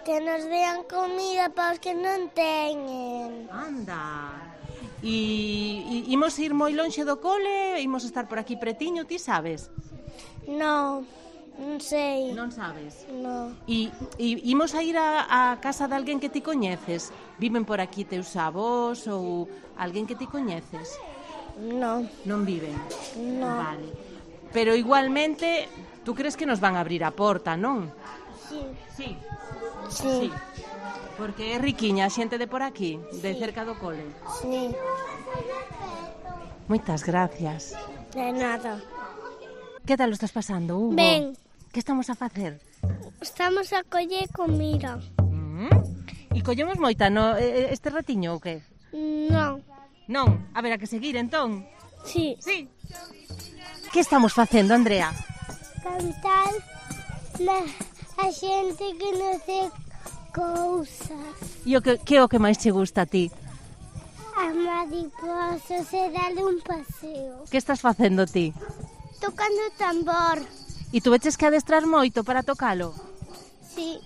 Que nos dean comida para os que non teñen. Anda. E imos ir moi lonxe do cole? Imos estar por aquí pretiño, ti sabes? Non sei. Non sabes? Non. E imos a ir a casa de alguén que ti coñeces? Viven por aquí teus avós ou alguén que ti coñeces? Non. Non viven? Non. Vale. Pero igualmente, tú crees que nos van a abrir a porta, non? Sí. Sí. Sí. Porque é riquiña a xente de por aquí, de cerca do cole. Sí. Moitas gracias. De nada. Que tal o estás pasando, Hugo? Ben. Que estamos a facer? Estamos a coller comida. E collemos moita este ratiño ou que? Non. Non, a ver, a que seguir entón. Sí. Sí. Que estamos facendo, Andrea? Cantar a xente que non sei cousas. E que é o que máis che gusta a ti? As mariposas e darle un paseo. Que estás facendo ti? Tocando o tambor. E tú veches que adestrar moito para tocalo? Sí.